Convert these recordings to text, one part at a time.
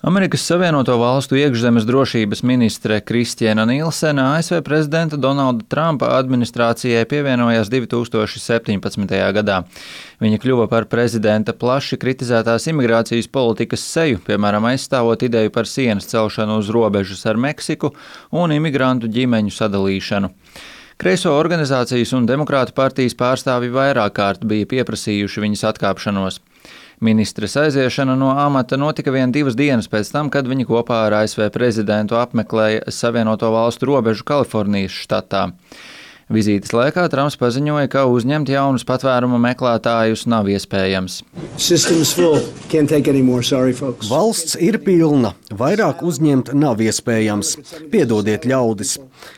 Amerikas Savienoto Valstu iekšzemes drošības ministre Kristiena Nilsena ASV prezidenta Donalda Trumpa administrācijai pievienojās 2017. gadā. Viņa kļuva par prezidenta plaši kritizētās imigrācijas politikas seju, piemēram, aizstāvot ideju par sienas celšanu uz robežas ar Meksiku un imigrantu ģimeņu sadalīšanu. Kreiso organizācijas un Demokrātu partijas pārstāvji vairāk kārt bija pieprasījuši viņas atkāpšanos. Ministres aiziešana no amata notika vien 2 dienas pēc tam, kad viņa kopā ar ASV prezidentu apmeklēja Savienoto Valstu robežu Kalifornijas štatā. Vizītes laikā Trumps paziņoja, ka uzņemt jaunus patvērumu meklētājus nav iespējams. Valsts ir pilna, vairāk uzņemt nav iespējams. Piedodiet, ļaudis.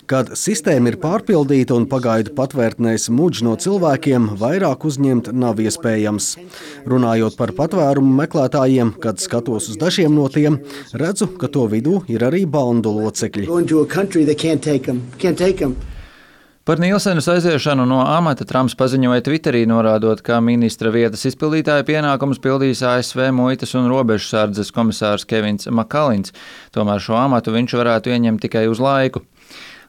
Kad sistēma ir pārpildīta un pagaidu patvērtnēs mudž no cilvēkiem, vairāk uzņemt nav iespējams. Runājot par patvērumu meklētājiem, kad skatos uz dažiem no tiem, redzu, ka to vidū ir arī bandu locekļi. Par Nilsenas aiziešanu no amata Trumps paziņoja Twitterī, norādot, ka ministra vietas izpildītāja pienākumus pildīs ASV muitas un robežsardzes komisārs Kevins Makalins, tomēr šo amatu viņš varētu ieņemt tikai uz laiku.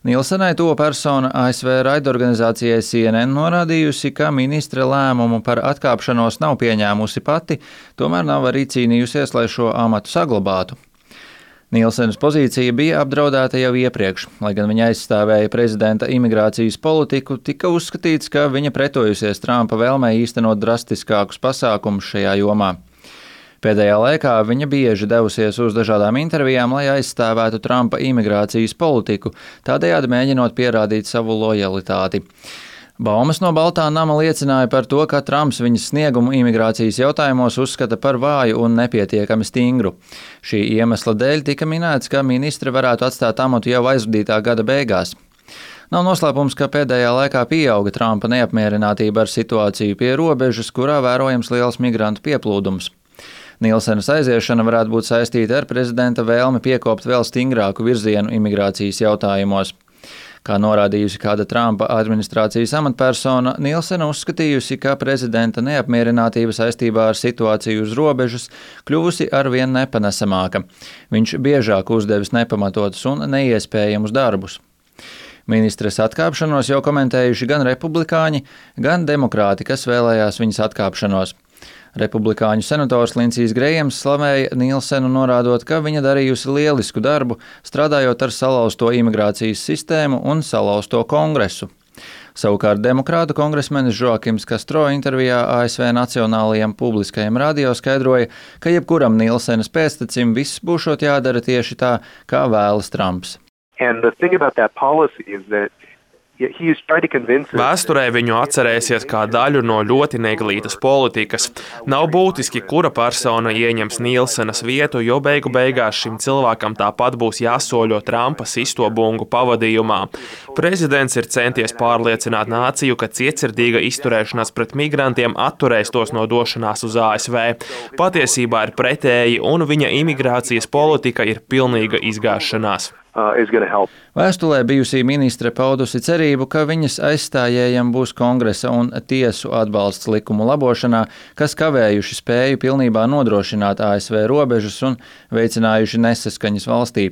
Nilsenai to persona ASV raidorganizācijai CNN norādījusi, ka ministre lēmumu par atkāpšanos nav pieņēmusi pati, tomēr nav arī cīnījusies, lai šo amatu saglabātu. Nilsenas pozīcija bija apdraudēta jau iepriekš, lai gan viņa aizstāvēja prezidenta imigrācijas politiku, tika uzskatīts, ka viņa pretojusies Trumpa vēlmei īstenot drastiskākus pasākumus šajā jomā. Pēdējā laikā viņa bieži devusies uz dažādām intervijām, lai aizstāvētu Trumpa imigrācijas politiku, tādējādi mēģinot pierādīt savu lojalitāti. Baumas no Baltā nama liecināja par to, ka Trumps viņas sniegumu imigrācijas jautājumos uzskata par vāju un nepietiekami stingru. Šī iemesla dēļ tika minēts, ka ministre varētu atstāt amatu jau aizvadītā gada beigās. Nav noslēpums, ka pēdējā laikā pieauga Trumpa neapmierinātība ar situāciju pie robežas, kurā vērojams liels migrantu pieplūdums. Nilsenas aiziešana varētu būt saistīta ar prezidenta vēlmi piekopt vēl stingrāku virzienu imigrācijas jautājumos. Kā norādījusi kāda Trumpa administrācijas amatpersona, Nilsena uzskatījusi, ka prezidenta neapmierinātība saistībā ar situāciju uz robežas kļuvusi arvien nepanesamāka. Viņš biežāk uzdevis nepamatotus un neiespējamus darbus. Ministres atkāpšanos jau komentējuši gan republikāņi, gan demokrāti, kas vēlējās viņas atkāpšanos. Republikāņu senators Lindsijs Grejams slavēja Nilsenu, norādot, ka viņa darījusi lielisku darbu, strādājot ar salauzto imigrācijas sistēmu un salauzto kongresu. Savukārt demokrātu kongresmenis Joakims Castro intervijā ASV Nacionālajiem publiskajiem radio skaidroja, ka jebkuram Nilsenas pēctecim viss būšot jādara tieši tā, kā vēlas Trumps. Vēsturē viņu atcerēsies kā daļu no ļoti neglītas politikas. Nav būtiski, kura persona ieņems Nilsenas vietu, jo beigu beigās šim cilvēkam tāpat būs jāsoļo Trumpa sisto bungu pavadījumā. Prezidents ir centies pārliecināt nāciju, ka cietsirdīga izturēšanās pret migrantiem atturēs tos no došanās uz ASV. Patiesībā ir pretēji, un viņa imigrācijas politika ir pilnīga izgāšanās. Vēstulē bijusī ministre paudusi cerību, ka viņas aizstājējiem būs kongresa un tiesu atbalsts likumu labošanā, kas kavējuši spēju pilnībā nodrošināt ASV robežas un veicinājuši nesaskaņas valstī.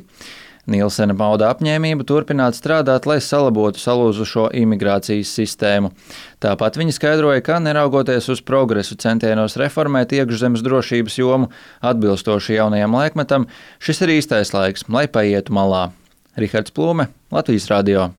Nilsena pauda apņēmību turpināt strādāt, lai salabotu salūzušo imigrācijas sistēmu. Tāpat viņa skaidroja, ka neraugoties uz progresu centienos reformēt iekšzemes drošības jomu atbilstoši jaunajam laikmetam, šis ir īstais laiks, lai paietu malā. Rihards Plūme, Latvijas radio.